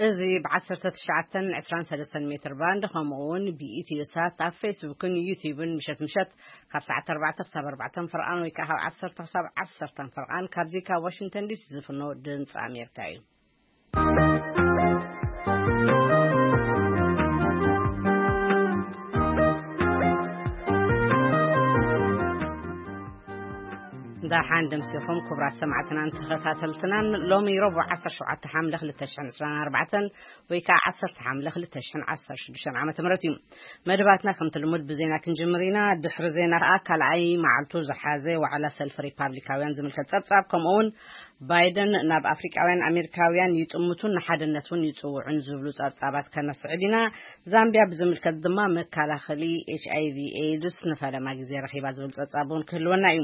እዚ ብ19 23 ሜትር ባንድ፣ ከምኡ እውን ብኢትዮ ሳት ኣብ ፌስቡክን ዩቲዩብን ምሸት ምሸት ካብ ሰዓት 4 ክሳብ 4 ፍርቓን ወይ ከዓ ካብ 10 ክሳብ 10 ፍርቓን ካብዚ ካብ ዋሽንግተን ዲሲ ዝፍኖ ድምፂ ኣሜሪካ እዩ። ደሓን ደምሲኹም ክቡራት ሰማዕትናን ተኸታተልትናን። ሎሚ ረቡዕ 17 ሓምለ 2024 ወይ ከዓ 10 ሓምለ 2016 ዓመተ ምህረት እዩ። መደባትና ከምቲ ልሙድ ብዜና ክንጅምር ኢና። ድሕሪ ዜና ከዓ ካልኣይ መዓልቱ ዝሓዘ ዋዕላ ሰልፊ ሪፓብሊካውያን ዝምልከት ጸብጻብ፣ ከምኡ እውን ባይደን ናብ ኣፍሪቃውያን ኣሜሪካውያን ይጥምቱን ንሓድነት እውን ይጽውዑን ዝብሉ ጸብጻባት ከነስዕብ ኢና። ዛምቢያ ብዝምልከት ድማ መከላኸሊ ኤች ኣይ ቪ ኤድስ ንፈለማ ግዜ ረኺባ ዝብል ጸብጻብ እውን ክህልወና እዩ።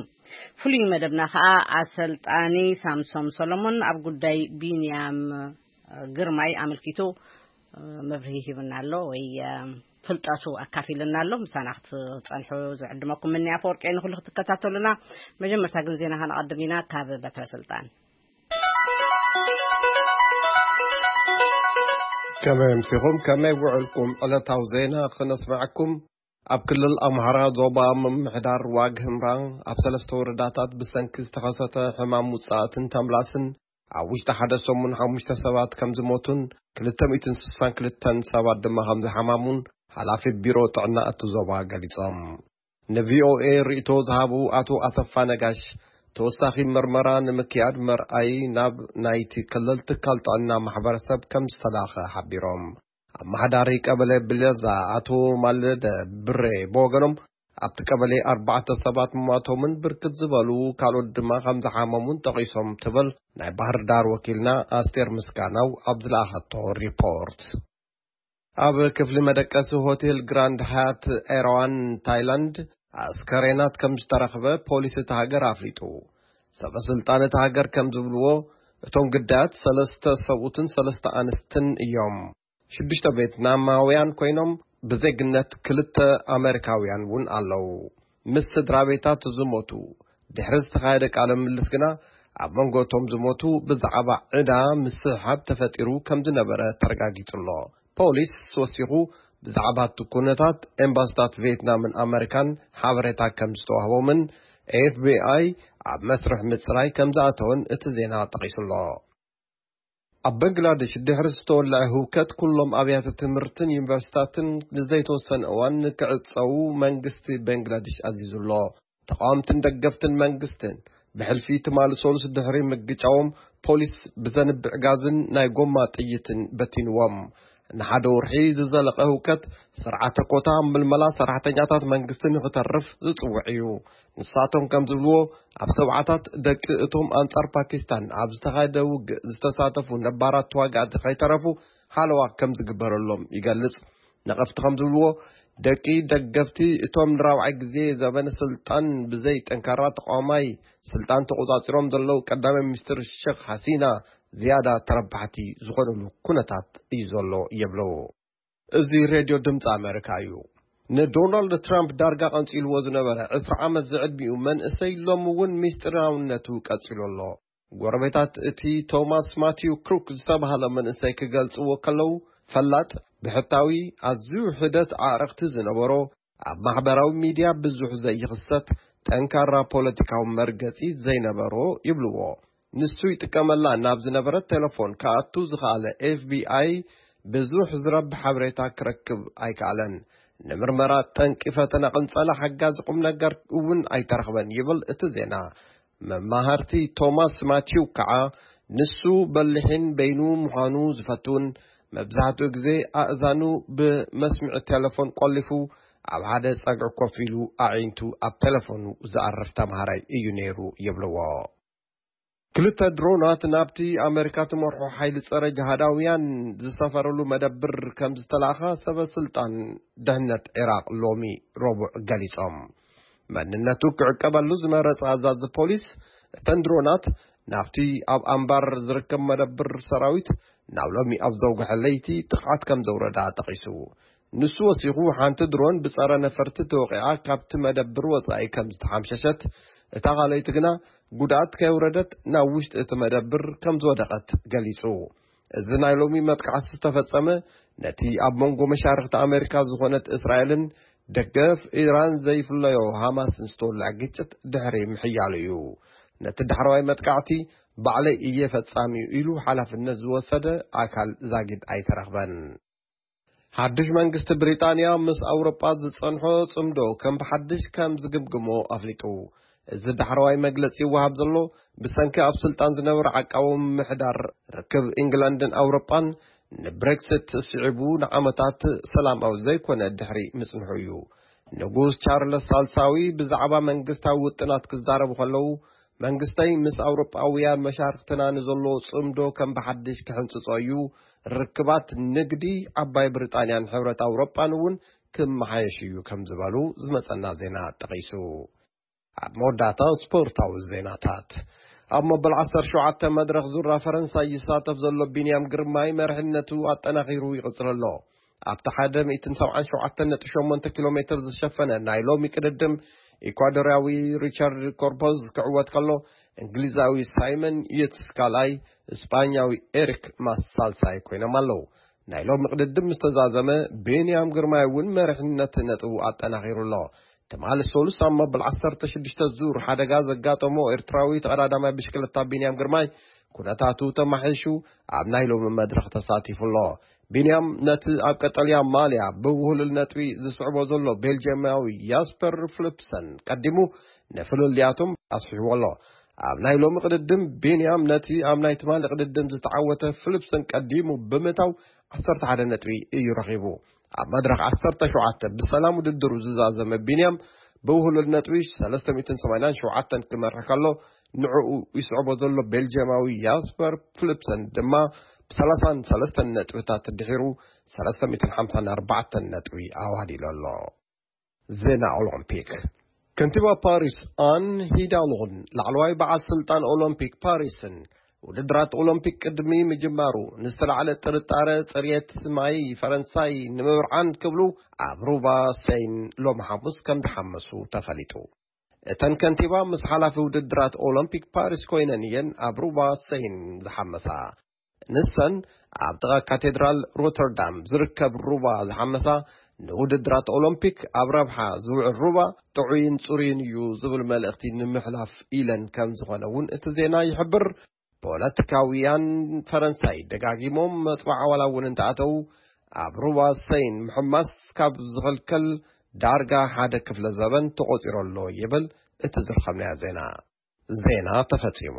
ፍሉይ መደብና ከዓ ኣሰልጣኒ ሳምሶም ሰሎሞን ኣብ ጉዳይ ቢንያም ግርማይ ኣመልኪቱ መብርሂ ሂብና ኣሎ ወይ ፍልጠቱ ኣካፊልና ኣሎ። ምሳና ክትጸንሑ ዝዕድመኩም ምንያ ኣፈወርቂ ንኩሉ ክትከታተሉና። መጀመርታ ግን ዜና ከነቐድም ኢና ካብ በትረ ስልጣን። ከመይ ኣምሲኹም? ከመይ ውዕልኩም? ዕለታዊ ዜና ክነስምዐኩም። ኣብ ክልል ኣምሓራ ዞባ ምምሕዳር ዋግ ህምራ ኣብ ሰለስተ ወረዳታት ብሰንኪ ዝተኸሰተ ሕማም ውጻእትን ተምላስን ኣብ ውሽጢ ሓደ ሰሙን ሓሙሽተ ሰባት ከም ዝሞቱን ክልተ ሚእትን ስሳን ክልተን ሰባት ድማ ከም ዝሓማሙን ሓላፊ ቢሮ ጥዕና እቲ ዞባ ገሊጾም። ንቪኦኤ ርእይቶ ዝሃቡ ኣቶ ኣሰፋ ነጋሽ፣ ተወሳኺ መርመራ ንምክያድ መርኣይ ናብ ናይቲ ክልል ትካል ጥዕና ማሕበረሰብ ከም ዝተላኸ ሓቢሮም። ኣመሓዳሪ ቀበሌ ብለዛ ኣቶ ማለደ ብሬ ብወገኖም፣ ኣብቲ ቀበሌ ኣርባዕተ ሰባት ምሟቶምን ብርክት ዝበሉ ካልኦት ድማ ከም ዝሓመሙን ጠቒሶም ትብል ናይ ባህር ዳር ወኪልና ኣስቴር ምስጋናው ኣብ ዝለኣኸቶ ሪፖርት። ኣብ ክፍሊ መደቀሲ ሆቴል ግራንድ ሃያት ኤርዋን ታይላንድ ኣስከሬናት ከም ዝተረኽበ ፖሊስ እቲ ሃገር ኣፍሊጡ። ሰበ ስልጣን እቲ ሃገር ከም ዝብልዎ፣ እቶም ግዳያት ሰለስተ ሰብኡትን ሰለስተ ኣንስትን እዮም። ሽዱሽተ ቬትናማውያን ኮይኖም ብዜግነት ክልተ ኣሜሪካውያን እውን ኣለዉ። ምስ ስድራ ቤታት ዝሞቱ ድሕሪ ዝተኻየደ ቃለ ምልልስ ግና፣ ኣብ መንጎ እቶም ዝሞቱ ብዛዕባ ዕዳ ምስሕሓብ ተፈጢሩ ከም ዝነበረ ተረጋጊጹ ኣሎ። ፖሊስ ወሲኹ ብዛዕባ እቲ ኩነታት ኤምባስታት ቬትናምን ኣመሪካን ሓበሬታ ከም ዝተዋህቦምን ኤፍ ቢ ኣይ ኣብ መስርሕ ምጽራይ ከም ዝኣተወን እቲ ዜና ጠቒሱ ኣሎ። ኣብ በንግላዴሽ ድሕሪ ዝተወልዐ ህውከት፣ ኩሎም ኣብያተ ትምህርትን ዩኒቨርሲታትን ንዘይተወሰነ እዋን ንክዕጸዉ መንግስቲ በንግላዴሽ ኣዚዙ ኣሎ። ተቃወምትን ደገፍትን መንግስትን ብሕልፊ ትማሊ ሰሉስ ድሕሪ ምግጫዎም፣ ፖሊስ ብዘንብዕ ጋዝን ናይ ጎማ ጥይትን በቲንዎም። ንሓደ ወርሒ ዝዘለቐ ህውከት፣ ስርዓተ ኮታ ምልመላ ሰራሕተኛታት መንግስቲ ንክተርፍ ዝጽውዕ እዩ። ንሳቶም ከም ዝብልዎ፣ ኣብ ሰብዓታት ደቂ እቶም ኣንጻር ፓኪስታን ኣብ ዝተኻየደ ውግእ ዝተሳተፉ ነባራት ተዋጋእቲ ከይተረፉ ሓለዋ ከም ዝግበረሎም ይገልጽ። ነቐፍቲ ከም ዝብልዎ፣ ደቂ ደገፍቲ እቶም ንራብዓይ ግዜ ዘበነ ስልጣን ብዘይ ጠንካራ ተቃዋማይ ስልጣን ተቆጻጺሮም ዘለዉ ቀዳማይ ሚኒስትር ሸኽ ሓሲና ዝያዳ ተረባሕቲ ዝኾኑሉ ኩነታት እዩ ዘሎ ይብሉ። እዚ ሬድዮ ድምፂ ኣሜሪካ እዩ። ንዶናልድ ትራምፕ ዳርጋ ቀንፂልዎ ዝነበረ ዕስራ ዓመት ዝዕድሚኡ መንእሰይ ሎሚ እውን ሚስጢራውነቱ ቀፂሉ ኣሎ። ጎረቤታት እቲ ቶማስ ማቲው ክሩክ ዝተባህለ መንእሰይ ክገልፅዎ ከለዉ፣ ፈላጥ፣ ብሕታዊ፣ ኣዝዩ ሒደት ኣዕርኽቲ ዝነበሮ፣ ኣብ ማሕበራዊ ሚድያ ብዙሕ ዘይኽሰት፣ ጠንካራ ፖለቲካዊ መርገፂ ዘይነበሮ ይብልዎ። ንሱ ይጥቀመላ ናብ ዝነበረት ቴሌፎን ክኣቱ ዝኸኣለ ኤፍ ቢ ኣይ ብዙሕ ዝረብሕ ሓበሬታ ክረክብ ኣይከኣለን። ንምርመራ ጠንቂ ፈተነ ቅንጸላ ሓጋዚ ቁም ነገር እውን ኣይተረኽበን ይብል እቲ ዜና። መማህርቲ ቶማስ ማቲው ከዓ ንሱ በሊሕን በይኑ ምዃኑ ዝፈቱን መብዛሕትኡ ግዜ ኣእዛኑ ብመስምዒ ቴሌፎን ቆሊፉ ኣብ ሓደ ጸግዒ ኮፍ ኢሉ ኣዒንቱ ኣብ ቴሌፎኑ ዝኣርፍ ተምሃራይ እዩ ነይሩ ይብልዎ። ክልተ ድሮናት ናብቲ ኣሜሪካ ትመርሖ ሓይሊ ጸረ ጅሃዳውያን ዝሰፈረሉ መደብር ከም ዝተላእኻ ሰበ ስልጣን ድሕነት ዒራቕ ሎሚ ረቡዕ ገሊጾም። መንነቱ ክዕቀበሉ ዝመረጸ ኣዛዚ ፖሊስ፣ እተን ድሮናት ናብቲ ኣብ ኣምባር ዝርከብ መደብር ሰራዊት ናብ ሎሚ ኣብ ዘውግሐ ለይቲ ጥቕዓት ከም ዘውረዳ ጠቒሱ። ንሱ ወሲኹ፣ ሓንቲ ድሮን ብጸረ ነፈርቲ ተወቒዓ ካብቲ መደብር ወጻኢ ከም ዝተሓምሸሸት፣ እታ ካልኣይቲ ግና ጉድኣት ከየውረደት ናብ ውሽጢ እቲ መደብር ከም ዝወደቐት ገሊጹ። እዚ ናይ ሎሚ መጥቃዕቲ ዝተፈጸመ፣ ነቲ ኣብ መንጎ መሻርኽቲ ኣሜሪካ ዝኾነት እስራኤልን ደገፍ ኢራን ዘይፍለዮ ሃማስን ዝተወልዐ ግጭት ድሕሪ ምሕያሉ እዩ። ነቲ ዳሕረዋይ መጥቃዕቲ ባዕለይ እየ ፈጻሚኡ ኢሉ ሓላፍነት ዝወሰደ ኣካል ዛጊድ ኣይተረኽበን። ሓድሽ መንግስቲ ብሪጣንያ ምስ ኣውሮጳ ዝጸንሖ ጽምዶ ከም ብሓድሽ ከም ዝግምግሞ ኣፍሊጡ። እዚ ዳሕረዋይ መግለጺ ይወሃብ ዘሎ፣ ብሰንኪ ኣብ ስልጣን ዝነበረ ዓቃዊ ምሕዳር ርክብ ኢንግላንድን ኣውሮጳን ንብሬክሲት ስዒቡ ንዓመታት ሰላማዊ ዘይኮነ ድሕሪ ምጽንሑ እዩ። ንጉስ ቻርለስ ሳልሳዊ ብዛዕባ መንግስታዊ ውጥናት ክዛረቡ ከለዉ፣ መንግስተይ ምስ ኣውሮጳውያን መሻርክትና ንዘሎ ጽምዶ ከም ብሓድሽ ክሕንጽጾ እዩ። ርክባት ንግዲ ዓባይ ብሪጣንያን ሕብረት ኣውሮጳን እውን ክመሓየሽ እዩ ከም ዝበሉ ዝመጸና ዜና ጠቒሱ። ኣብ መወዳእታ ስፖርታዊ ዜናታት። ኣብ መበል ዓሰርተ ሸውዓተ መድረኽ ዙራ ፈረንሳይ ይሳተፍ ዘሎ ቢንያም ግርማይ መርሕነቱ ኣጠናኺሩ ይቕጽል ኣሎ። ኣብቲ ሓደ ሚእትን ሰብዓን ሸውዓተን ነጥቢ ሸሞንተ ኪሎ ሜትር ዝሸፈነ ናይ ሎሚ ቅድድም፣ ኢኳዶርያዊ ሪቻርድ ኮርፖዝ ክዕወት ከሎ፣ እንግሊዛዊ ሳይመን የትስ ካልኣይ፣ እስጳኛዊ ኤሪክ ማስ ሳልሳይ ኮይኖም ኣለዉ። ናይ ሎሚ ቅድድም ምስ ተዛዘመ፣ ቢንያም ግርማይ እውን መሪሕነት ነጥቡ ኣጠናኺሩ ኣሎ። ትማሊ ሰሉስ ኣብ መበል ዓሰርተ ሽዱሽተ ዙር ሓደጋ ዘጋጠሞ ኤርትራዊ ተቐዳዳማይ ብሽክለታ ቢንያም ግርማይ፣ ኩነታቱ ተማሒሹ ኣብ ናይ ሎሚ መድረኽ ተሳቲፉ ኣሎ። ቢንያም ነቲ ኣብ ቀጠልያ ማልያ ብውህሉል ነጥቢ ዝስዕቦ ዘሎ ቤልጅየማዊ ያስፐር ፍሊፕሰን ቀዲሙ፣ ንፍልልያቶም ኣስሒዎ ኣሎ። ኣብ ናይ ሎሚ ቅድድም፣ ቢንያም ነቲ ኣብ ናይ ትማሊ ቅድድም ዝተዓወተ ፍሊፕሰን ቀዲሙ ብምእታው፣ ዓሰርተ ሓደ ነጥቢ እዩ ረኺቡ። ኣብ መድረኽ ዓሰርተ ሸውዓተ ብሰላም ውድድሩ ዝዛዘመ ቢንያም፣ ብውህሉል ነጥቢ ሰለስተ ሚእትን ሰማንያን ሸውዓተን ክመርሕ ከሎ፣ ንዕኡ ይስዕቦ ዘሎ ቤልጅየማዊ ያስፐር ፍሊፕሰን ድማ ብሰላሳን ሰለስተን ነጥብታት ድሒሩ፣ ሰለስተ ሚእትን ሓምሳን ኣርባዕተን ነጥቢ ኣዋዲሉ ኣሎ። ዜና ኦሎምፒክ። ከንቲባ ፓሪስ ኣን ሂዳሎን ላዕለዋይ በዓል ስልጣን ኦሎምፒክ ፓሪስን፣ ውድድራት ኦሎምፒክ ቅድሚ ምጅማሩ ንዝተላዕለ ጥርጣረ ጽርየት ማይ ፈረንሳይ ንምብርዓን ክብሉ ኣብ ሩባ ሰይን ሎሚ ሓሙስ ከም ዝሓመሱ ተፈሊጡ። እተን ከንቲባ ምስ ሓላፊ ውድድራት ኦሎምፒክ ፓሪስ ኮይነን እየን ኣብ ሩባ ሰይን ዝሓመሳ። ንሰን ኣብ ጥቓ ካቴድራል ሮተርዳም ዝርከብ ሩባ ዝሓመሳ፣ ንውድድራት ኦሎምፒክ ኣብ ረብሓ ዝውዕል ሩባ ጥዑይን ጽሩይን እዩ ዝብል መልእኽቲ ንምሕላፍ ኢለን ከም ዝኾነ እውን እቲ ዜና ይሕብር። ፖለቲካውያን ፈረንሳይ ደጋጊሞም መጽዋዕታ ዋላ እውን እንተኣተዉ፣ ኣብ ሩባ ሰይን ምሕማስ ካብ ዝኽልከል ዳርጋ ሓደ ክፍለ ዘበን ተቖጺሩ ኣሎ ይብል እቲ ዝረኸብናዮ ዜና። ዜና ተፈጺሙ።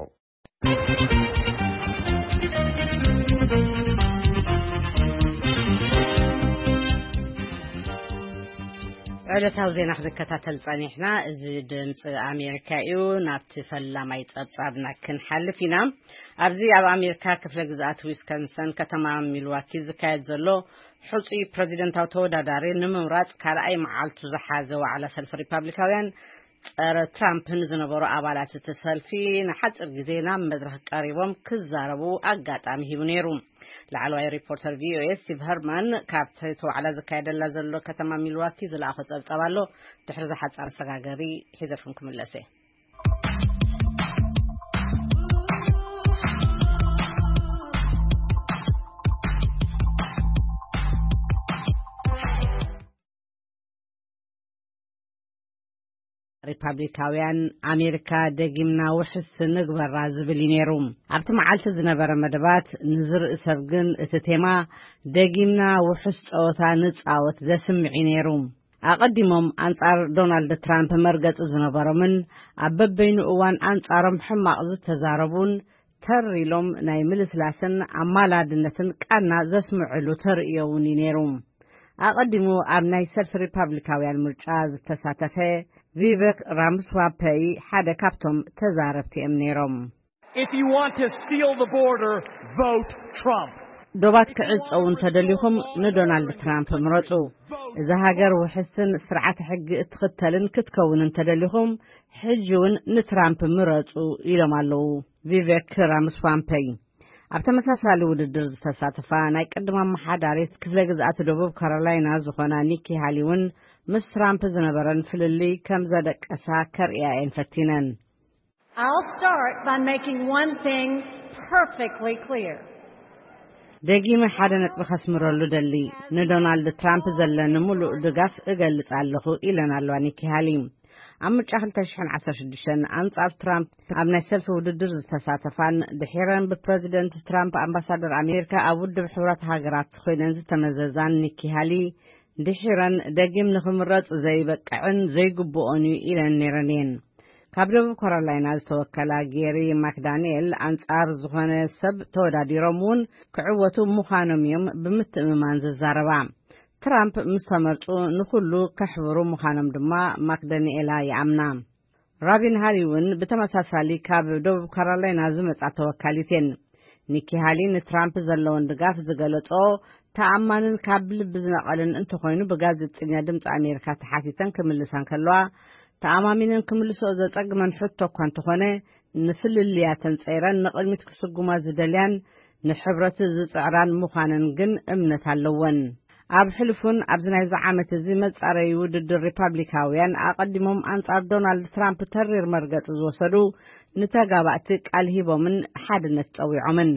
ዕለታዊ ዜና ክንከታተል ጸኒሕና። እዚ ድምፂ ኣሜሪካ እዩ። ናብቲ ፈላማይ ጸብጻብና ክንሓልፍ ኢና። ኣብዚ ኣብ ኣሜሪካ ክፍለ ግዝኣት ዊስኮንሰን ከተማ ሚልዋኪ ዝካየድ ዘሎ ሕፁይ ፕሬዚደንታዊ ተወዳዳሪ ንምምራፅ ካልኣይ መዓልቱ ዝሓዘ ዋዕላ ሰልፊ ሪፓብሊካውያን ጸረ ትራምፕ ንዝነበሩ ኣባላት እቲ ሰልፊ ንሓጺር ግዜ ናብ መድረኽ ቀሪቦም ክዛረቡ ኣጋጣሚ ሂቡ ነይሩ። ላዕለዋይ ሪፖርተር ቪኦኤ ስቲቭ ሀርማን ካብቲ እቲ ዋዕላ ዝካየደላ ዘሎ ከተማ ሚልዋኪ ዝለኣኾ ጸብጻብ ኣሎ። ድሕሪ ዝሓጻር መሰጋገሪ ሒዘልኩም ክምለስ እየ። ሪፓብሊካውያን፣ ኣሜሪካ ደጊምና ውሕስ ንግበራ ዝብል እዩ ነይሩ። ኣብቲ መዓልቲ ዝነበረ መደባት፣ ንዝርኢ ሰብ ግን እቲ ቴማ ደጊምና ውሕስ ጸወታ ንጻወት ዘስምዕ እዩ ነይሩ። ኣቐዲሞም ኣንጻር ዶናልድ ትራምፕ መርገጺ ዝነበሮምን ኣብ በበይኑ እዋን ኣንጻሮም ሕማቕ ዝተዛረቡን ተር ኢሎም ናይ ምልስላስን ኣማላድነትን ቃና ዘስምዕሉ ተርእዮ እውን እዩ ነይሩ። ኣቐዲሙ ኣብ ናይ ሰልፊ ሪፓብሊካውያን ምርጫ ዝተሳተፈ ቪቨክ ራምስዋፐይ ሓደ ካብቶም ተዛረብቲ እዮም ነይሮም። If you want to seal the border, vote Trump. ዶባት ክዕጸው እንተደሊኹም ንዶናልድ ትራምፕ ምረጹ። እዛ ሃገር ውሕስን ስርዓተ ሕጊ እትኽተልን ክትከውን እንተደሊኹም ሕጂ እውን ንትራምፕ ምረጹ ኢሎም ኣለዉ ቪቨክ ራምስዋምፐይ። ኣብ ተመሳሳሊ ውድድር ዝተሳተፋ ናይ ቅድም ኣመሓዳሪት ክፍለ ግዝኣት ደቡብ ካሮላይና ዝኾና ኒኪ ሃሊ እውን ምስ ትራምፕ ዝነበረን ፍልልይ ከም ዘደቀሳ ከርእያ እየን ፈቲነን። I'll start by making one thing perfectly clear. ደጊመ ሓደ ነጥቢ ከስምረሉ ደሊ፣ ንዶናልድ ትራምፕ ዘለኒ ምሉእ ድጋፍ እገልጽ ኣለኹ፣ ኢለን ኣለዋ ኒኪ ሃሊ። ኣብ ምርጫ ክልተ ሽሕን ዓሰርተ ሽዱሽተን ኣንጻር ትራምፕ ኣብ ናይ ሰልፊ ውድድር ዝተሳተፋን ድሒረን ብፕረዚደንት ትራምፕ ኣምባሳደር ኣሜሪካ ኣብ ውድብ ሕብረት ሃገራት ኮይነን ዝተመዘዛን ኒኪ ሃሊ፣ ድሒረን ደጊም ንኽምረጽ ዘይበቅዕን ዘይግብኦን እዩ ኢለን ነይረን እየን። ካብ ደቡብ ካሮላይና ዝተወከላ ጌሪ ማክዳንኤል ኣንጻር ዝኾነ ሰብ ተወዳዲሮም እውን ክዕወቱ ምዃኖም እዮም ብምትእምማን ዝዛረባ። ትራምፕ ምስ ተመርጹ ንኹሉ ከሕብሩ ምዃኖም ድማ ማክዳንኤላ ይኣምና። ራቢን ሃሊ እውን ብተመሳሳሊ ካብ ደቡብ ካሮላይና ዝመጻ ተወካሊት እየን። ኒኪ ሃሊ ንትራምፕ ዘለውን ድጋፍ ዝገለጾ ተኣማንን ካብ ልቢ ዝነቐልን እንተኾይኑ፣ ብጋዜጠኛ ድምፂ ኣሜሪካ ተሓቲተን ክምልሳ እንከለዋ፣ ተኣማሚነን ክምልሶ ዘጸግመን ሕቶ እኳ እንተኾነ፣ ንፍልልያተን ጸይረን ንቕድሚት ክስጉማ ዝደልያን ንሕብረት ዝጽዕራን ምዃነን ግን እምነት ኣለወን። ኣብ ሕልፉን ኣብዚ ናይዚ ዓመት እዚ መጻረዪ ውድድር ሪፓብሊካውያን ኣቐዲሞም ኣንጻር ዶናልድ ትራምፕ ተሪር መርገጺ ዝወሰዱ ንተጋባእቲ ቃል ሂቦምን ሓድነት ጸዊዖምን።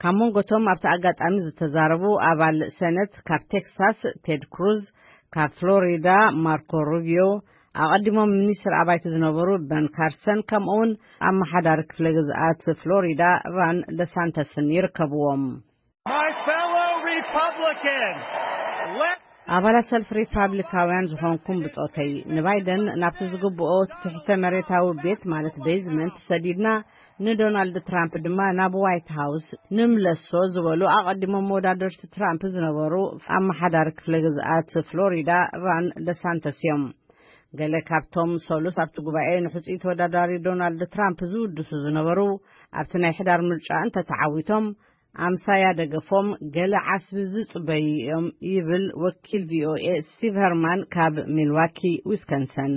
ካብ መንጎቶም ኣብቲ ኣጋጣሚ ዝተዛረቡ ኣባል ሰነት ካብ ቴክሳስ ቴድ ክሩዝ፣ ካብ ፍሎሪዳ ማርኮ ሩቢዮ፣ ኣቐዲሞም ሚኒስትር ኣባይቲ ዝነበሩ በን ካርሰን፣ ከምኡውን ኣመሓዳሪ ክፍለ ግዝኣት ፍሎሪዳ ራን ደሳንተስን ይርከብዎም። My fellow Republicans, let ኣባላት ሰልፊ ሪፓብሊካውያን ዝኾንኩም ብጾተይ፣ ንባይደን ናብቲ ዝግብኦ ትሕተ መሬታዊ ቤት፣ ማለት ቤዝመንት፣ ሰዲድና፣ ንዶናልድ ትራምፕ ድማ ናብ ዋይት ሃውስ ንምለሶ ዝበሉ ኣቐዲሞም መወዳደርቲ ትራምፕ ዝነበሩ ኣመሓዳሪ ክፍለ ግዝኣት ፍሎሪዳ ራን ደሳንተስ እዮም። ገለ ካብቶም ሰሉስ ኣብቲ ጉባኤ ንሕጹይ ተወዳዳሪ ዶናልድ ትራምፕ ዝውድሱ ዝነበሩ፣ ኣብቲ ናይ ሕዳር ምርጫ እንተተዓዊቶም፣ ኣምሳያ ደገፎም ገለ ዓስቢ ዝጽበዩ እዮም ይብል ወኪል ቪ ኦ ኤ ስቲቭ ሀርማን ካብ ሚልዋኪ ዊስኮንሰን።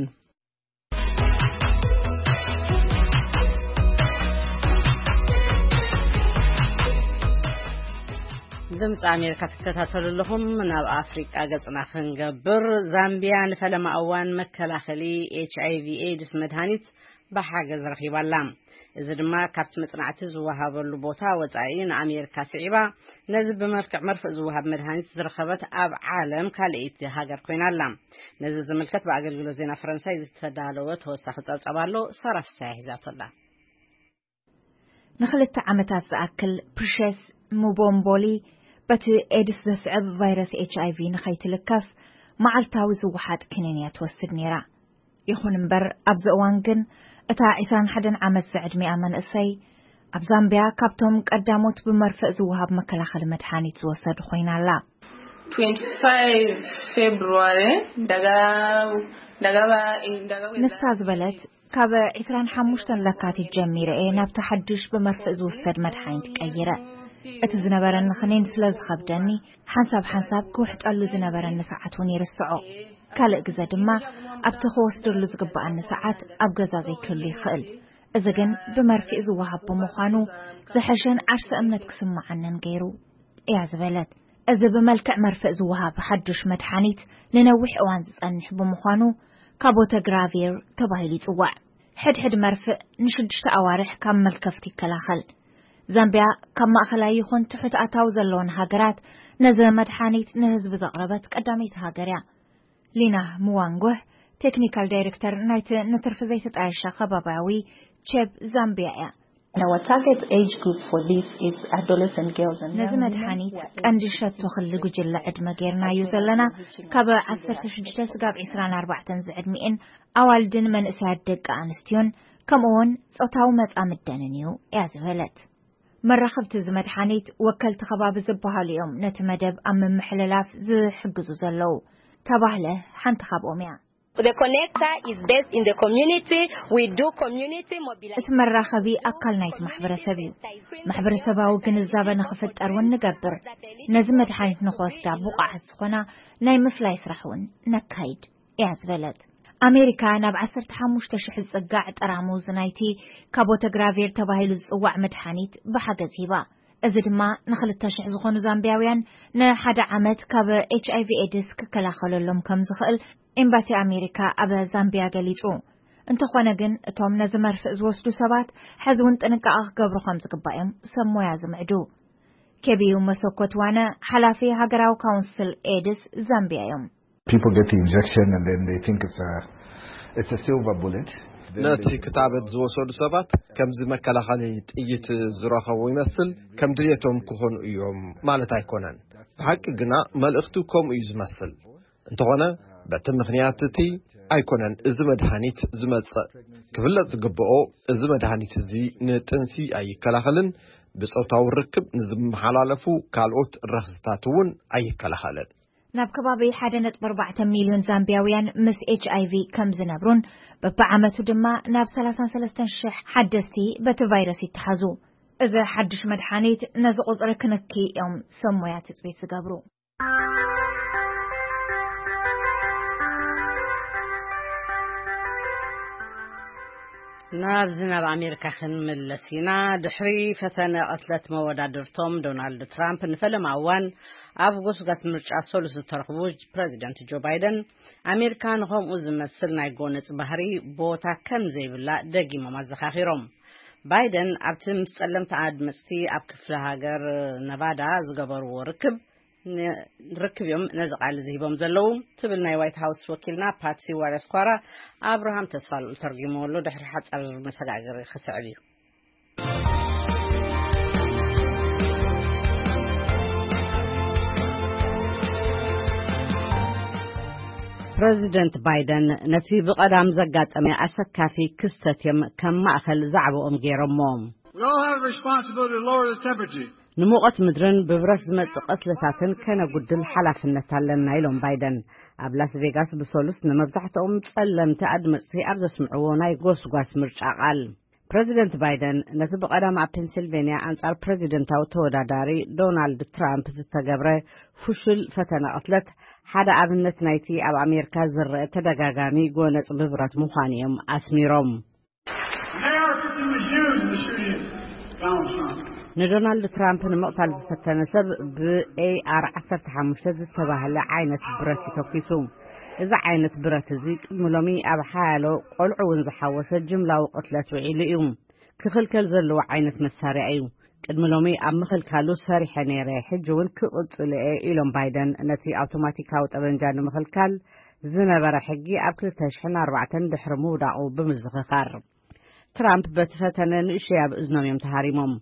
ድምፂ ኣሜሪካ ትከታተሉ ኣለኹም። ናብ ኣፍሪቃ ገፅና ክንገብር፣ ዛምቢያ ንፈለማ እዋን መከላኸሊ ኤች ኣይ ቪ ኤድስ መድሃኒት ብሓገዝ ረኺባላ። እዚ ድማ ካብቲ መጽናዕቲ ዝወሃበሉ ቦታ ወጻኢ ንኣሜሪካ ስዒባ፣ ነዚ ብመልክዕ መርፍእ ዝወሃብ መድሃኒት ዝረኸበት ኣብ ዓለም ካልኣይቲ ሃገር ኮይና ኣላ። ነዚ ዝምልከት ብኣገልግሎት ዜና ፈረንሳይ ዝተዳለወ ተወሳኺ ጸብጻብ ኣሎ። ሳራ ፍሳሐ ሒዛቶ ኣላ። ንኽልተ ዓመታት ዝኣክል ፕሪሸስ ሙቦምቦሊ በቲ ኤድስ ዘስዕብ ቫይረስ ኤች ኣይ ቪ ንኸይትልከፍ መዓልታዊ ዝወሓጥ ክኒን እያ ትወስድ ነይራ። ይኹን እምበር፣ ኣብዚ እዋን ግን እታ ዕስራን ሓደን ዓመት ዝዕድሚኣ መንእሰይ ኣብ ዛምቢያ ካብቶም ቀዳሞት ብመርፍእ ዝወሃብ መከላኸሊ መድሓኒት ዝወሰዱ ኮይና ኣላ። twenty-five February, daga-, dagaba-, dagaba-, ንሳ ዝበለት፣ ካብ ዕስራን ሓሙሽተን ለካቲት ጀሚረ እየ ናብቲ ሓድሽ ብመርፍእ ዝውሰድ መድሓኒት ቀይረ። እቲ ዝነበረኒ ክኒን ስለ ዝኸብደኒ፣ ሓንሳብ ሓንሳብ ክውሕጠሉ ዝነበረኒ ሰዓት እውን ይርስዖ። ካልእ ግዘ ድማ ኣብቲ ክወስደሉ ዝግብኣኒ ሰዓት ኣብ ገዛ ዘይክህሉ ይኽእል። እዚ ግን ብመርፍእ ዝወሃብ ብምዃኑ ዝሐሸን ዓርሰ እምነት ክስምዓንን ገይሩ እያ ዝበለት። እዚ ብመልክዕ መርፍእ ዝወሃብ ሓዱሽ መድሓኒት ንነዊሕ እዋን ዝጸንሕ ብምዃኑ ካቦተግራቪር ተባሂሉ ይጽዋዕ። ሕድሕድ መርፍእ ንሽዱሽተ ኣዋርሕ ካብ መልከፍቲ ይከላኸል። ዛምቢያ ካብ ማእኸላይ ይኹን ትሑት ኣታዊ ዘለወን ሃገራት ነዚ መድሓኒት ንህዝቢ ዘቕረበት ቀዳመይቲ ሃገር እያ። ሊና ምዋንጎህ፣ ቴክኒካል ዳይሬክተር ናይቲ ንትርፊ ዘይተጣየሸ ከባቢያዊ ቼብ ዛምቢያ እያ። And our target age group for this is adolescent girls and ነዚ young women. መድሓኒት ቀንዲ ሸቶ ክሊ ጉጅለ ዕድመ ጌርናዮ ዘለና፣ ካብ ዓሰርተ ሽዱሽተ ስጋብ ዕስራን ኣርባዕተን ዝዕድሚኤን ኣዋልድን መንእሰያት ደቂ ኣንስትዮን፣ ከምኡውን ጾታዊ መጻምደንን እዩ እያ ዝበለት። መራኸብቲ እዚ መድሓኒት ወከልቲ ከባቢ ዝበሃሉ እዮም ነቲ መደብ ኣብ ምምሕልላፍ ዝሕግዙ ዘለዉ። ተባህለ ሓንቲ ካብኦም እያ። The connector is based in the community. We do community mobilization. እቲ መራኸቢ ኣካል ናይቲ ማሕበረሰብ እዩ። ማሕበረሰባዊ ግንዛበ ንኽፍጠር እውን ንገብር። ነዚ መድሓኒት ንኽወስዳ ብቑዓት ዝኾና ናይ ምፍላይ ስራሕ እውን ነካይድ እያ ዝበለት። ኣሜሪካ ናብ ዓሰርተ ሓሙሽተ ሽሕ ዝጽጋዕ ጠራሙዝ ናይቲ ካቦተግራቪር ተባሂሉ ዝጽዋዕ መድሓኒት ብሓገዝ ሂባ። እዚ ድማ ንኽልተ ሽሕ ዝኾኑ ዛምቢያውያን ንሓደ ዓመት ካብ ኤች ኣይ ቪ ኤድስ ክከላኸለሎም ከም ዝኽእል ኤምባሲ ኣሜሪካ ኣብ ዛምቢያ ገሊጹ። እንተኾነ ግን፣ እቶም ነዚ መርፍእ ዝወስዱ ሰባት ሕዚ እውን ጥንቃቐ ክገብሩ ከም ዝግባእ እዮም ሰብ ሞያ ዝምዕዱ። ከቢዩ መሰኮት ዋነ ሓላፊ ሃገራዊ ካውንስል ኤድስ ዛምቢያ እዮም። People get the injection and then they think it's a it's a silver bullet. Then ነቲ they ክትበት ዝወሰዱ ሰባት ከምዚ መከላኸሊ ጥይት ዝረኸቡ ይመስል፣ ከም ድልየቶም ክኾኑ እዮም ማለት ኣይኮነን። ብሓቂ ግና መልእኽቱ ከምኡ እዩ ዝመስል። እንተኾነ በቲ ምኽንያት እቲ ኣይኮነን እዚ መድሃኒት ዝመጽእ። ክፍለጥ ዝግብኦ፣ እዚ መድሃኒት እዚ ንጥንሲ ኣይከላኸልን፣ ብጾታዊ ርክብ ንዝመሓላለፉ ካልኦት ረኽስታት እውን ኣይከላኸልን። ናብ ከባቢ ሓደ ነጥቢ ኣርባዕተ ሚልዮን ዛምቢያውያን ምስ ኤች ኣይ ቪ ከም ዝነብሩን በብዓመቱ ድማ ናብ ሰላሳን ሰለስተን ሽሕ ሓደስቲ በቲ ቫይረስ ይተሓዙ። እዚ ሓድሽ መድሓኒት ነዚ ቁጽሪ ክንኪ እዮም ሰብ ሞያ ትጽቢት ዝገብሩ። ናብዚ ናብ ኣሜሪካ ክንምለስ ኢና። ድሕሪ ፈተነ ቅትለት መወዳድርቶም ዶናልድ ትራምፕ ንፈለማ እዋን ኣብ ጎስጓስ ምርጫ ሰሉስ ዝተረኽቡ ፕረዚደንት ጆ ባይደን፣ ኣሜሪካ ንኸምኡ ዝመስል ናይ ጎነጽ ባህሪ ቦታ ከም ዘይብላ ደጊሞም ኣዘኻኺሮም። ባይደን ኣብቲ ምስ ጸለምቲ ኣድመጽቲ ኣብ ክፍለ ሃገር ነቫዳ ዝገበርዎ ርክብ ን-፣ ርክብ እዮም ነዚ ቃል እዚ ሂቦም ዘለዉ ትብል ናይ ዋይት ሃውስ ወኪልና ፓትሲ ዋረስኳራ። ኣብርሃም ተስፋልኡል ተርጊምዎ ኣሎ። ድሕሪ ሓጻር መሰጋገሪ ክስዕብ እዩ። ፕረዚደንት ባይደን ነቲ ብቐዳም ዘጋጠመ ኣሰካፊ ክስተት እዮም ከም ማእከል ዛዕባኦም ገይሮሞ። We all have a responsibility to lower the temperature. ንሙቐት ምድርን ብብረት ዝመጽእ ቅትለታትን ከነጉድል ሓላፍነት ኣለና ኢሎም ባይደን። ኣብ ላስ ቬጋስ ብሰሉስ ንመብዛሕትኦም ጸለምቲ ኣድመጽቲ ኣብ ዘስምዕዎ ናይ ጎስጓስ ምርጫ ቃል፣ ፕረዚደንት ባይደን ነቲ ብቐዳም ኣብ ፔንሲልቬንያ ኣንጻር ፕረዚደንታዊ ተወዳዳሪ ዶናልድ ትራምፕ ዝተገብረ ፍሹል ፈተነ ቅትለት ሓደ ኣብነት ናይቲ ኣብ ኣሜሪካ ዝረአ ተደጋጋሚ ጎነጽ ብብረት ምዃኑ እዮም ኣስሚሮም። American was used in the shooting of Donald Trump. ንዶናልድ ትራምፕ ንምቕታል ዝፈተነ ሰብ ብኤ ኣር ዓሰርተ ሓሙሽተ ዝተባህለ ዓይነት ብረት እዩ ተኲሱ። እዚ ዓይነት ብረት እዚ ቅድሚ ሎሚ ኣብ ሓያሎ ቆልዑ እውን ዝሓወሰ ጅምላዊ ቅትለት ውዒሉ እዩ። ክኽልከል ዘለዎ ዓይነት መሳርያ እዩ። ቅድሚ ሎሚ ኣብ ምኽልካሉ ሰሪሐ ነይረ፣ ሕጂ እውን ክቕጽል እየ ኢሎም ባይደን ነቲ ኣውቶማቲካዊ ጠበንጃ ንምኽልካል ዝነበረ ሕጊ ኣብ ክልተ ሽሕን ኣርባዕተን ድሕሪ ምውዳቑ ብምዝኽኻር። ትራምፕ በቲ ፈተነ ንእሽተይ ኣብ እዝኖም እዮም ተሃሪሞም።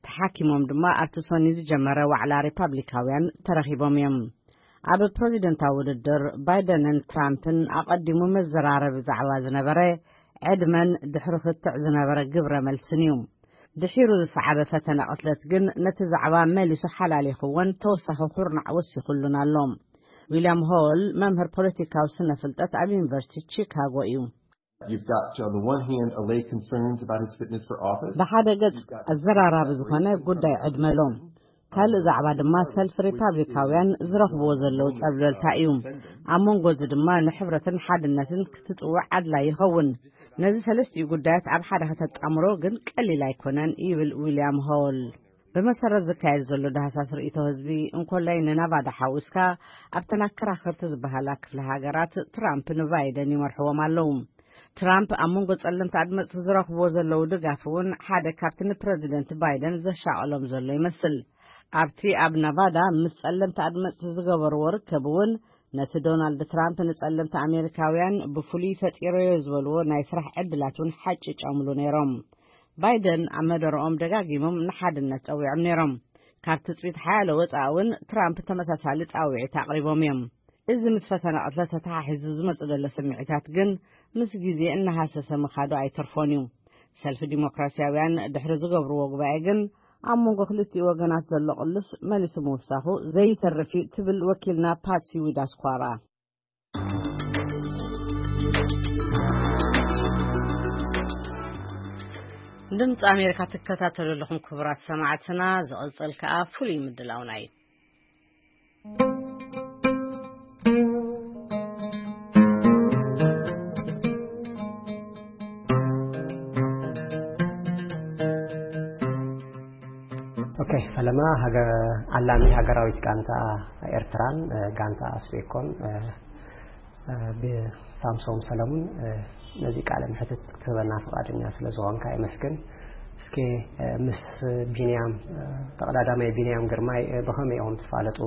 ተሓኪሞም ድማ ኣብቲ ሰኒ ዝጀመረ ዋዕላ ሪፓብሊካውያን ተረኺቦም እዮም። ኣብ ፕረዚደንታዊ ውድድር ባይደንን ትራምፕን ኣቐዲሙ መዘራረቢ ዛዕባ ዝነበረ ዕድመን ድሕሪ ክትዕ ዝነበረ ግብረ መልስን እዩ። ድሒሩ ዝሰዓበ ፈተነ ቅትለት ግን ነቲ ዛዕባ መሊሱ ሓላሊኽዎን ተወሳኺ ኩርናዕ ወሲኹሉን ኣሎ። ዊልያም ሆል መምህር ፖለቲካዊ ስነ ፍልጠት ኣብ ዩኒቨርሲቲ ቺካጎ እዩ። You've got, on the one hand, alleged concerns about his fitness for office. ብሓደ ገጽ ኣዘራራቢ ዝኾነ ጉዳይ ዕድመ ኣሎ። ካልእ ዛዕባ ድማ ሰልፊ ሪፓብሊካውያን ዝረኽብዎ ዘለዉ ጸብለልታ እዩ። ኣብ መንጎ እዚ ድማ ንሕብረትን ሓድነትን ክትጽውዕ ኣድላይ ይኸውን። ነዚ ሰለስቲኡ ጉዳያት ኣብ ሓደ ከተጣምሮ ግን ቀሊል ኣይኮነን ይብል ዊልያም ሆል። ብመሰረት ዝካየድ ዘሎ ዳህሳስ ርእይቶ ህዝቢ እንኮላይ ንናቫዳ ሓዊስካ ኣብተን ኣከራኸርቲ ዝበሃላ ክፍለ ሃገራት ትራምፕ ንባይደን ይመርሕዎም ኣለዉ። ትራምፕ ኣብ መንጎ ጸለምቲ ኣድመጽቲ ዝረኽብዎ ዘለዉ ድጋፍ እውን ሓደ ካብቲ ንፕረዚደንት ባይደን ዘሻቐሎም ዘሎ ይመስል። ኣብቲ ኣብ ናቫዳ ምስ ጸለምቲ ኣድመጽቲ ዝገበርዎ ርከብ እውን ነቲ ዶናልድ ትራምፕ ንጸለምቲ ኣሜሪካውያን ብፍሉይ ፈጢሮዮ ዝበልዎ ናይ ስራሕ ዕድላት እውን ሓጭጨምሉ ነይሮም። ባይደን ኣብ መደረኦም ደጋጊሞም ንሓድነት ጸዊዖም ነይሮም። ካብ ትጽቢት ሓያሎ ወጻኢ እውን ትራምፕ ተመሳሳሊ ጻውዒት ኣቕሪቦም እዮም። እዚ ምስ ፈተነ ቅትለት ተተሓሒዙ ዝመጽእ ዘሎ ስምዒታት ግን ምስ ግዜ እናሃሰሰ ምኻዱ ኣይተርፎን እዩ። ሰልፊ ዲሞክራሲያውያን ድሕሪ ዝገብርዎ ጉባኤ ግን ኣብ መንጎ ክልቲኡ ወገናት ዘሎ ቅልስ መሊሱ ምውሳኹ ዘይተርፍ እዩ ትብል ወኪልና ፓትሲ ዊዳስኳራ። ድምፂ ኣሜሪካ ትከታተሉ ኣለኹም ክቡራት ሰማዕትና። ዝቕፅል ከኣ ፍሉይ ምድላውና እዩ። ኦኬ፣ ፈለማ ሃገ-፣ ዓላሚ ሃገራዊት ጋንታ ኤርትራን፣ እ፣ ጋንታ ኣስቤኮን፣ እ፣ እ፣ ብሳምሶም ሰለሙን፣ እ፣ ነዚ ቃለ መሕትት ክትህበና ፍቓደኛ ስለ ዝኾንካ የመስግን። እስኪ ምስ ቢንያም፣ ተቐዳዳማይ ቢንያም ግርማይ ብኸመይ ኢኹም ትፋለጡ?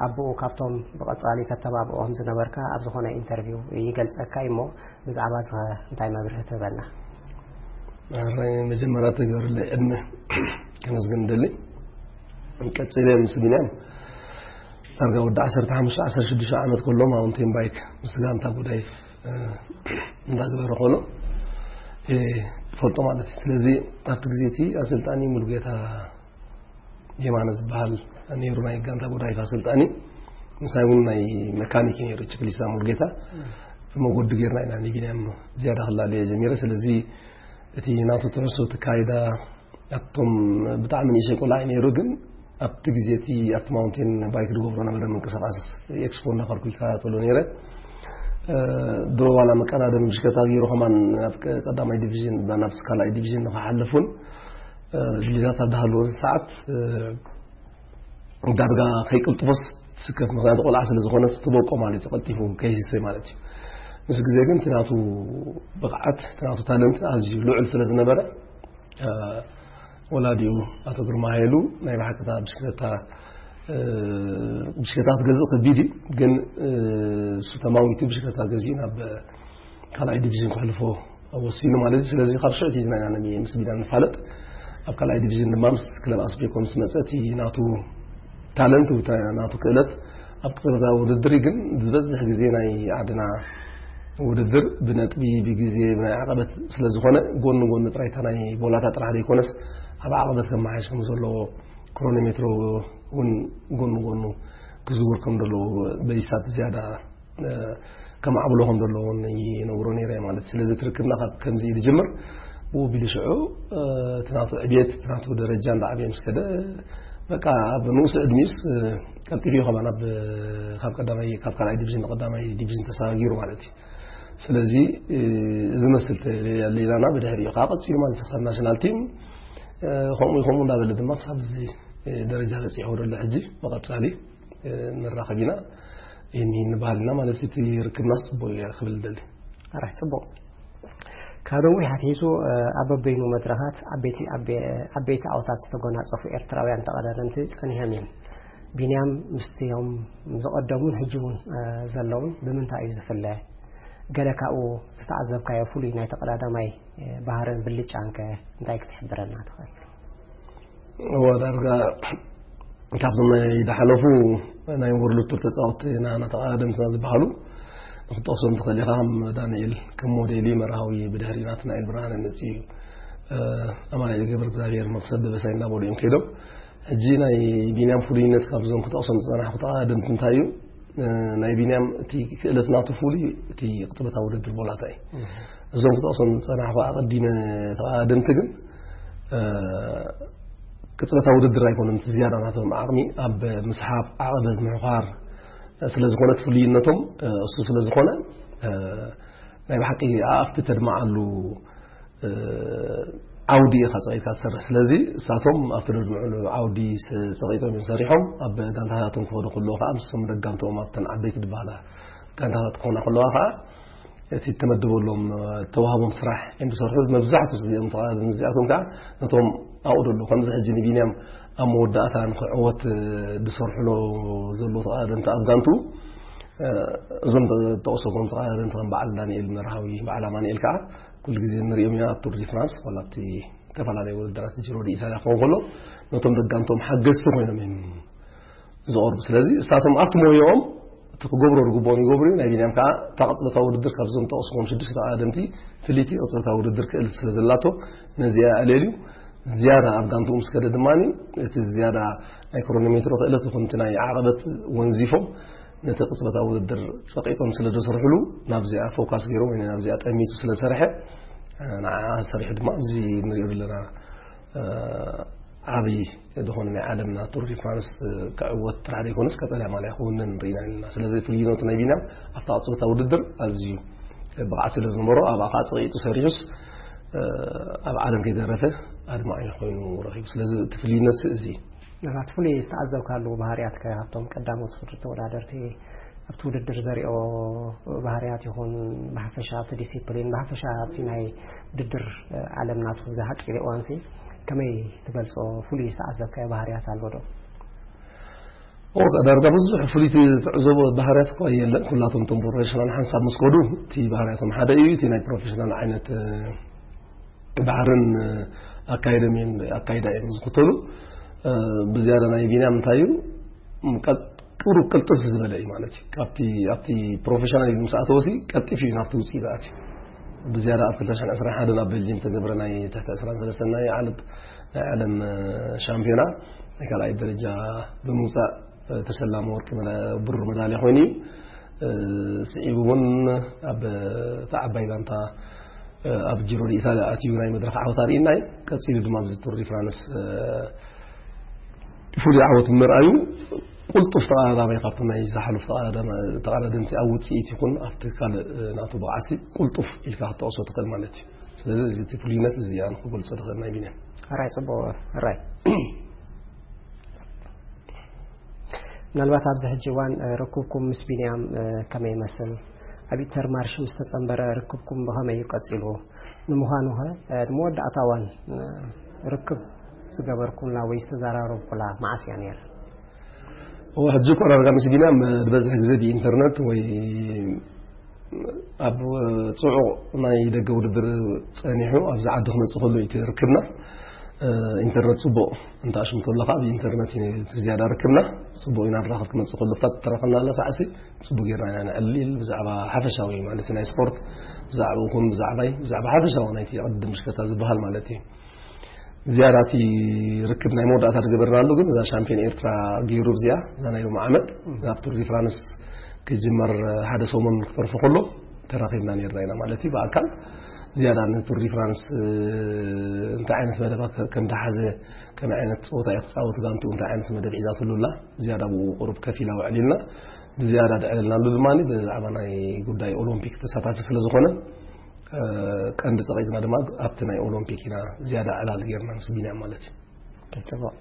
ኣቦኡ ካብቶም ብቐጻሊ ተተባብዖም ዝነበርካ ኣብ ዝኾነ ኢንተርቪው ይገልጸካ እሞ፣ ብዛዕባ እዚ እንታይ መብርሂ ትህበና? መጀመርያ ተገብርለይ ዕድመ ከመስግን ደሊ። ቀጺለ ምስ ቢንያም ዳርጋ ወዲ ዓሰርተ ሓሙሽተ ዓሰርተ ሽዱሽተ ዓመት ከሎ ማውንቴን ባይክ ምስ ጋንታ ጉዳይ እንዳገበረ ከሎ ፈልጦ ማለት እዩ። ስለዚ ኣብቲ ግዜ እቲ ኣሰልጣኒ ሙሉጌታ የማነ ዝበሃል ነይሩ፣ ናይ ጋንታ ጉዳይ ኣሰልጣኒ። ምሳይ እውን ናይ መካኒክ ነይሩ፣ ችክሊስታ ሙሉጌታ። ብመጎዲ ጌርና ኢና ንቢንያም ዝያዳ ክላለየ ጀሚረ። ስለዚ እቲ ናቱ ትሕዝቶ፣ እቲ ካይዳ፣ ኣብቶም ብጣዕሚ ንእሽተይ ቆልዓ እዩ ነይሩ፣ ግን ኣብቲ ግዜ እቲ ኣብቲ ማውንቴን ባይክ ዝገብሮ ነበረ ምንቅስቃስ ኤክስፖ እናኸርኩ ይከታተሎ ነይረ። ድሮ ዋላ መቀዳደም ብሽክለታ ገይሩ ከማን ናብ ቀዳማይ ዲቪዥን፣ ናብ ካልኣይ ዲቪዥን ንክሓልፉን ድልታት ኣብ ዝሃለዎ ሰዓት ዳርጋ ከይቅልጥፎስ ትስከፍ። ምክንያቱ ቆልዓ ስለ ዝኾነ ትበቆ ማለት እዩ፣ ቀልጢፉ ከይህሰይ ማለት እዩ። ምስ ግዜ ግን እቲ ናቱ ብቕዓት፣ እቲ ናቱ ታለንት ኣዝዩ ልዑል ስለ ዝነበረ፣ ወላዲኡ ኣቶ ግርማ ሃይሉ ናይ ብሓቂ እታ ብሽክለታ ብሽክለታ ክትገዝእ ከቢድ እዩ፣ ግን እሱ ተማዊቱ ብሽክለታ ገዚኡ ናብ ካልኣይ ዲቪዥን ክሕልፎ ወሲኑ ማለት እዩ። ስለዚ ካብ ሽዑ ሒዝና ኢና ምስ ቢንያም ንፋለጥ። ኣብ ካልኣይ ዲቪዥን ድማ ምስ ክለብ ኣስቤኮ ምስ መጸ እቲ ናቱ ታለንት፣ ናቱ ክእለት ኣብ ቅጽበታዊ ውድድር እዩ። ግን ዝበዝሕ ግዜ ናይ ዓድና ውድድር ብነጥቢ፣ ብግዜ፣ ብናይ ዓቐበት ስለ ዝኾነ፣ ጎኒ ጎኒ ጥራይ እታ ናይ ቦላታ ጥራሕ ዘይኮነስ ኣብ ዓቐበት ከመሓየሽ ከም ዘለዎ፣ ክሮኖሜትሮ እውን ጎኒ ጎኑ ክዝውር ከም ዘለዎ፣ በይሳት ዝያዳ ከማዕብሎ ከም ዘለዎ እውን ይነግሮ ነይረ ማለት። ስለዚ ትርክብና ካብ ከምዚ እዩ ዝጅምር። ብኡ ቢሉ ሽዑ እቲ ናቱ ዕብየት፣ እቲ ናቱ ደረጃ እንዳዓበየ ምስ ከደ፣ በቃ ኣብ ንኡስ ዕድሚኡስ ቀልጢፉ እዩ ከማን ኣብ፣ ካብ ቀዳማይ፣ ካብ ካልኣይ ዲቪዥን ንቀዳማይ ዲቪዥን ተሰጋጊሩ ማለት እዩ። ስለዚ እዚ መስል ሌላና ብድሕሪኡ ከዓ ቀፂሉ ማለት እዩ። ክሳብ ናሽናል ቲም ከምኡ ከምኡ እንዳበለ ድማ ክሳብ እዚ ደረጃ በፂሑ ዘሎ ሕጂ ብቐፃሊ ንራኸብ ኢና። ይህን ይህን ባህልና ማለት እቲ ርክብና ጽቡቅ እዩ ክብል ደሊ። ኣራሕ ጽቡቅ። ካብ ነዊሕ ኣትሒዙ ኣብ በበይኑ መድረኻት ዓበይቲ ዓበይቲ ዓወታት ዝተጎናጸፉ ኤርትራውያን ተቐዳደምቲ ጸኒሖም እዮም። ቢንያም ምስቲኦም ዝቐደሙን ሕጂ እውን ዘለውን ብምንታይ እዩ ዝፍለ? ገለ ካብኡ ዝተዓዘብካዮ ፍሉይ ናይ ተቐዳዳማይ ባህርን ብልጫን ከ እንታይ ክትሕብረና ትኽእል? እዎ፣ ዳርጋ ካብዞም ናይ ዝሓለፉ ናይ ወርልድ ቱር ተጻወትቲ ናና ተቐዳደምትና ዝበሃሉ ክትጠቕሶም ትኽእል ኢኻ። ከም ዳንኤል ከም ሞዴሊ መርሃዊ፣ ብድሕሪ ናትናኤል ብርሃነ መጺኡ፣ ኣማኑኤል ገብረ እግዚኣብሔር፣ መቕሰብ ደበሳይ እናበሉ እዮም ከይዶም። ሕጂ ናይ ቢንያም ፍሉይነት ካብዞም ክጠቕሶም ዝጸናሕኩ ተቐዳደምቲ እንታይ እዩ? ናይ ቢንያም እቲ ክእለት ናቱ ፍሉይ እቲ ቅጽበታዊ ውድድር ቦላታ እዩ። እዞም ክጠቕሶም ዝጸናሕኩ ኣቐዲመ ተቐዳደምቲ ግን ቅጽበታዊ ውድድር ኣይኮነን እቲ ዝያዳ ናቶም ዓቕሚ፣ ኣብ ምስሓብ፣ ዓቐበት ምሕዃር ስለ ዝኾነ እቲ ፍሉይነቶም እሱ ስለ ዝኾነ ናይ ብሓቂ ኣፍቲ ተድማዓሉ ዓውዲ ኢኻ ጸቒጥካ ትሰርሕ። ስለዚ እሳቶም ኣብቲ ደድምዕሉ ዓውዲ ጸቒጦም እዮም ሰሪሖም። ኣብ ጋንታታቶም ክኸዱ ከለዉ ከዓ ምስቶም ደጋንትኦም ኣብተን ዓበይቲ ዝበሃላ ጋንታታት ክኾና ከለዋ ከዓ እቲ ተመድበሎም ተዋህቦም ስራሕ እዮም ዝሰርሑ። መብዛሕትኡ እዚኦም ተቓደምቲ እዚኣቶም ከዓ ነቶም ኣብኡ ደሎ ከምዚ ሕጂ ንቢንያም ኣብ መወዳእታ ንክዕወት ዝሰርሕሎ ዘሎ ተቓደምቲ ኣብ ጋንቱ እዞም ተጠቕሰኩም ተቓደምቲ ከም በዓል ዳንኤል መርሃዊ፣ በዓል ኣማኑኤል ከዓ ኩሉ ግዜ ንሪኦም ኢና ኣብ ቱር ዲ ፍራንስ ዋላ ኣብቲ ዝተፈላለዩ ውድድራት ጅሮ ዲ ኢሳያ ክኸውን ከሎ ነቶም ደጋንቶም ሓገዝቲ ኮይኖም እዮም ዝቐርቡ። ስለዚ እሳቶም ኣብቲ ሞያኦም እቲ ክገብሮ ዝግብኦም ይገብሩ እዩ። ናይ ቢንያም ከዓ እታ ቅጽበታዊ ውድድር ካብዞም ጠቕስኩም ሽዱሽተ ተቐዳደምቲ ፍልይቲ ቅጽበታዊ ውድድር ክእል ስለ ዘላቶ ነዚኣ ኣልዕልዩ ዝያዳ ኣብ ጋንትኡ ምስ ከደ ድማ እቲ ዝያዳ ናይ ክሮኖሜትሮ ክእለት ይኹን እቲ ናይ ዓቐበት ወንዚፎም ነቲ ቅጽበታዊ ውድድር ጸቂጦም ስለ ዘሰርሕሉ ናብዚኣ ፎካስ ገይሮም ወይ ናብዚኣ ጠሚቱ ስለ ዝሰርሐ ንዓ ሰሪሑ ድማ እዚ ንሪኦ ዘለና ዓብዪ ዝኾነ ናይ ዓለምና ቱር ዲ ፍራንስ ክዕወት ጥራሕ ዘይኮነስ ቀጠልያ ማልያ ክውንን ርኢና ኣለና። ስለዚ ፍልይነቱ ናይ ቢንያም ኣብታ ቅጽበታ ውድድር ኣዝዩ ብቕዓት ስለ ዝነበሮ ኣብኣ ከዓ ጸቂጡ ሰሪሑስ ኣብ ዓለም ከይተረፈ ኣድማዒ ኮይኑ ረኺቡ። ስለዚ እቲ ፍልይነት እዚ እዩ። ናብቲ ፍሉይ ዝተዓዘብካሉ ባህርያት ከ ካብቶም ቀዳሞት ፍርዲ ተወዳደርቲ ኣብቲ ውድድር ዘሪኦ ባህርያት ይኹን ብሓፈሻ ኣብቲ ዲሲፕሊን ብሓፈሻ ኣብቲ ናይ ውድድር ዓለም ናቱ ብዝሓፂረ እዋንሲ ከመይ ትገልፆ? ፍሉይ ዝተዓዘብካዮ ባህርያት ኣሎ ዶ? ዳርጋ ብዙሕ ፍሉይቲ ትዕዘቦ ባህርያት እኳ የለን። ኩላቶም እቶም ፕሮፌሽናል ሓንሳብ ምስ ከዱ እቲ ባህርያቶም ሓደ እዩ። እቲ ናይ ፕሮፌሽናል ዓይነት ባህርን ኣካይደም ኣካይዳ እዮም ዝኽተሉ። ብዝያዳ ናይ ቢንያም እንታይ እዩ? ቁሩብ ቅልጥፍ ዝበለ እዩ ማለት እዩ። ካብቲ ኣብቲ ፕሮፌሽናል ምስ ኣተወሲ ቀልጢፍ እዩ ናብቲ ውፅኢት ኣትዩ። ብዝያዳ ኣብ ክልተ ሽሕን ዕስራን ሓደን ኣብ ቤልጅም ተገብረ ናይ ትሕቲ ዕስራን ሰለስተን ናይ ዓለም ናይ ዓለም ሻምፒዮና ናይ ካልኣይ ደረጃ ብምውፃእ ተሸላሚ ወርቂ ብሩር መዳልያ ኮይኑ እዩ። ስዒቡ እውን ኣብ ተዓባይ ጋንታ ኣብ ጂሮ ኢታልያ ኣትዩ ናይ መድረኽ ዓወት ኣርእና እዩ። ቀፂሉ ድማ ኣብዚ ቱር ዲ ፍራንስ ፍሉይ ዓወት ምርኣዩ ቁልጡፍ ተቐዳዳማይ ካብቶም ናይ ዝሓለፉ ተቐዳደምቲ ኣብ ውፅኢት ይኹን ኣብቲ ካልእ ናቱ ብቕዓሲ ቁልጡፍ ኢልካ ክትጠቕሶ ትኽእል ማለት እዩ። ስለዚ እዚ እቲ ፍሉይነት እዚ ኣነ ክገልፆ ትኽእል ናይ ቢንያም። ራይ ፅቡቅ ራይ ምናልባት ኣብዚ ሕጂ እዋን ርክብኩም ምስ ቢንያም ከመይ ይመስል? ኣብ ኢንተርማርሽ ምስ ተጸንበረ ርክብኩም ብኸመይ እዩ ቀጺሉ? ንምዃኑ ኸ ንመወዳእታ እዋን ርክብ ዝገበርኩምላ ወይ ዝተዘራረብኩላ መዓስ እያ ነይራ? እወ ሕጂ እኮ ዳርጋ ምስ ቢንያም ዝበዝሕ ግዜ ብኢንተርነት ወይ ኣብ ፅዑቕ ናይ ደገ ውድድር ፀኒሑ ኣብዚ ዓዲ ክመፅእ ከሎ እዩ ርክብና። ኢንተርነት ፅቡቕ እንተ ኣሽምቶ ኣለካ ኣብ ኢንተርነት እዩ ዝያዳ ርክብና። ፅቡቕ ኢና ንራኸብ ክመፅእ ከሎ ፍታት ተረኸብና ኣላ ሳዕሲ ፅቡቕ ጌርና ኢና ንዕልል ብዛዕባ ሓፈሻዊ ማለት ናይ ስፖርት ብዛዕባ ይኹን ብዛዕባይ ብዛዕባ ሓፈሻዊ ናይቲ ቅድድም ብሽክለታ ዝበሃል ማለት እዩ። ዝያዳ እቲ ርክብ ናይ መወዳእታ ዝገበርናሉ ግን እዛ ሻምፒዮን ኤርትራ ገይሩ እዚኣ እዛ ናይ ሎም ዓመት ናብ ቱር ዲ ፍራንስ ክጅመር ሓደ ሰሙን ክተርፎ ከሎ ተራኺብና ነርና ኢና ማለት እዩ ብኣካል። ዝያዳ ንቱር ዲ ፍራንስ እንታይ ዓይነት መደባ ከም ዝሓዘ ከመይ ዓይነት ፀወታ እዩ ክፃወት ጋንትኡ እንታይ ዓይነት መደብ ሒዛትሉ ኣላ ዝያዳ ብኡ ቁሩብ ከፊላ ውዕል ኢልና ብዝያዳ ድዕልልናሉ ድማ ብዛዕባ ናይ ጉዳይ ኦሎምፒክ ተሳታፊ ስለ ዝኾነ ቀንዲ ፀቒጥና ድማ ኣብቲ ናይ ኦሎምፒክ ኢና ዝያዳ ዕላል ጌርና ምስ ቢንያም ማለት እዩ። ጽቡቕ።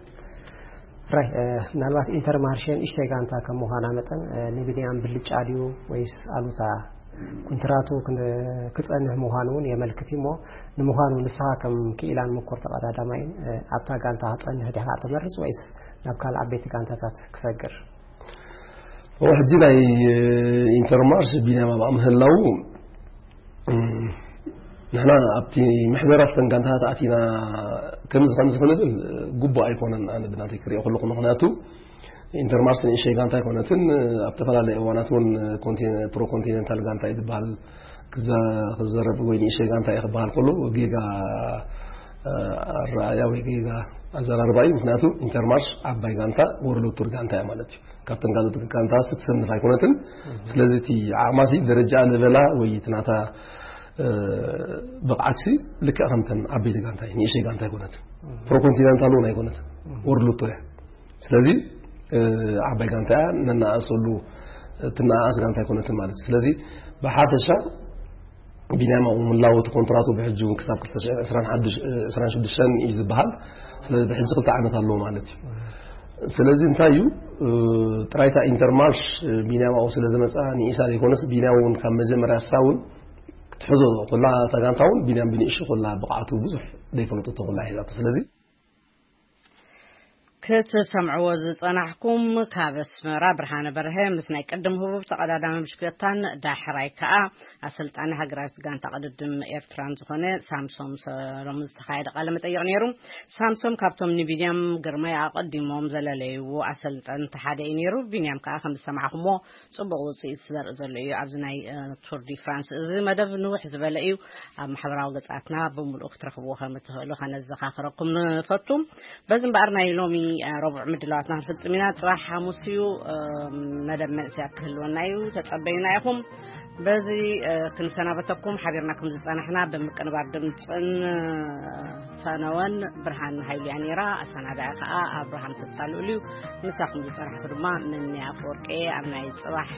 ራይ ምናልባት ኢንተርማርሼ ንእሽተይ ጋንታ ከም ምዃና መጠን ንቢንያም ብልጫ ድዩ ወይስ ኣሉታ? ኩንትራቱ ክጸንሕ ምዃኑ እውን የመልክት እሞ ንምዃኑ ንስኻ ከም ክኢላን ምኩር ተቐዳዳማይን ኣብታ ጋንታ ክጸንሕ ዲኻ ትመርጽ ወይስ ናብ ካልእ ዓበይቲ ጋንታታት ክሰግር? ሕጂ ናይ ኢንተርማርሽ ቢንያም ኣብኣ ምህላው ንሕና ኣብቲ ምሕደራ ተን ጋንታታት ኣቲና ከምዚ ከምዚ ክንብል ግቡእ ኣይኮነን። ኣነ ብናተይ ክሪኦ ከለኹ ምክንያቱ ኢንተርማርሽ ንእሸይ ጋንታ ኣይኮነትን። ኣብ ተፈላለየ እዋናት እውን ፕሮ ኮንቲኔንታል ጋንታ እዩ ዝበሃል ክዘረብ ወይ ንእሸይ ጋንታ እዩ ክበሃል ከሎ ጌጋ ኣረኣያ ወይ ጌጋ ኣዘራርባ እዩ። ምክንያቱ ኢንተርማርሽ ዓባይ ጋንታ ወርልድ ቱር ጋንታ እያ ማለት እዩ። ካብተን ካልኦት ጋንታ ስትሰንፍ ኣይኮነትን። ስለዚ እቲ ዓቕማሲ ደረጃ ለቨላ ወይ እቲ ናታ ብቕዓትሲ ልክዕ ከምተን ዓበይቲ ጋንታ እዩ። ንእሸይ ጋንታ ኣይኮነትን። ፕሮኮንቲነንታል እውን ኣይኮነትን። ወርልድ ቱር እያ። ስለዚ ዓባይ ጋንታ እያ። ነናኣእሰሉ ትናኣኣስ ጋንታ ኣይኮነትን ማለት እዩ። ስለዚ ብሓፈሻ ቢንያም ኣብኡ ምላው እቲ ኮንትራቱ ብሕጂ እውን ክሳብ ክልተ ሽሕን ዕስራን ሽዱሽተን እዩ ዝበሃል። ስለዚ ብሕጂ ክልተ ዓመት ኣለዎ ማለት እዩ። ስለዚ እንታይ እዩ ጥራይታ ኢንተርማርሽ ቢንያም ኣብኡ ስለ ዝመፅኣ ንኢሳ ዘይኮነስ ቢንያም እውን ካብ መጀመርያ እሳ እውን ክትሕዞ ኩላ እታ ጋንታ እውን ቢንያም ብንእሹ ኩላ ብቕዓቱ ብዙሕ ዘይፈለጠቶ ኩላ ሒዛቶ ስለዚ ክትሰምዕዎ ዝጸናሕኩም ካብ ኣስመራ ብርሃነ በርሀ ምስ ናይ ቅድም ህቡብ ተቐዳዳሚ ብሽክለታን ዳሕራይ ከኣ ኣሰልጣኒ ሃገራዊት ጋንታ ቅድድም ኤርትራን ዝኾነ ሳምሶም ሰሎሞን ዝተኻየደ ቃለ መጠይቕ ነይሩ። ሳምሶም ካብቶም ንቢንያም ግርማይ ኣቐዲሞም ዘለለይዎ ኣሰልጠንቲ ሓደ እዩ ነይሩ። ቢንያም ከኣ ከም ዝሰማዕኩሞ ጽቡቕ ውጽኢት ዘርኢ ዘሎ እዩ ኣብዚ ናይ ቱር ዲ ፍራንስ። እዚ መደብ ንውሕ ዝበለ እዩ። ኣብ ማሕበራዊ ገጻትና ብምሉኡ ክትረኽብዎ ከም እትኽእሉ ከነዘኻኽረኩም ንፈቱ። በዚ እምበኣር ናይ ሎሚ ረቡዕ ምድላዋትና ክንፍጽም ኢና። ጽባሕ ሓሙስ እዩ። መደብ መንእሰያት ክህልወና እዩ። ተጸበዩና ኢኹም። በዚ ክንሰናበተኩም ሓቢርና ከም ዝጸናሕና ብምቅንባር ድምጽን ፈነወን ብርሃን ሃይልያ ነይራ። ኣሰናዳኢ ከኣ ኣብርሃም ተሳልኡሉ እዩ። ምሳኹም ዝጸናሕኩ ድማ ምንያ ኣፈወርቂ ኣብ ናይ ጽባሕ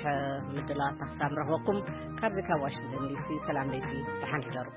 ምድላዋትና ክሳብ ንረኽበኩም ካብዚ ካብ ዋሽንግተን ዲሲ ሰላም ለይቲ ደሓን ሕደሩ።